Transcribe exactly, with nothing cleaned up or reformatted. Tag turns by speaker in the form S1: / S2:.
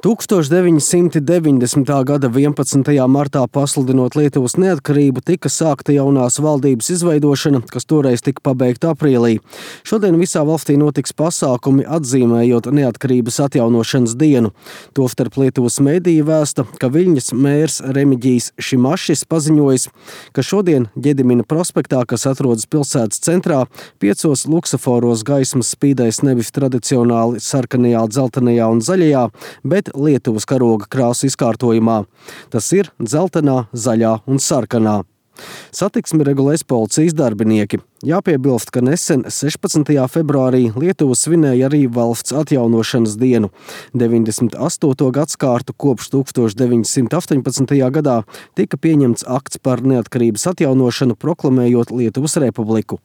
S1: tūkstoš deviņsimti deviņdesmitā gada vienpadsmitajā martā pasludinot Lietuvas neatkarību, tika sākta jaunās valdības izveidošana, kas toreiz tika pabeigta aprīlī. Šodien visā valstī notiks pasākumi atzīmējot neatkarības atjaunošanas dienu. Tostarp Lietuvas mediji vēsta, ka Viļņas mērs Remiģijs Šimašis paziņojis, ka šodien Ģedimina prospektā, kas atrodas pilsētas centrā, piecos luksaforos gaismas spīdēs nevis tradicionāli sarkanajā, dzeltenajā un zaļajā, bet Lietuvas karoga krāsu izkārtojumā. Tas ir dzeltenā, zaļā un sarkanā. Satiksmi regulēs policijas darbinieki. Jāpiebilst, ka nesen sešpadsmitajā februārī Lietuva svinēja arī valsts atjaunošanas dienu. deviņdesmit astoto gadskārtu kopš tūkstoš deviņsimt astoņpadsmitajā gadā tika pieņemts akts par neatkarības atjaunošanu, proklamējot Lietuvas republiku.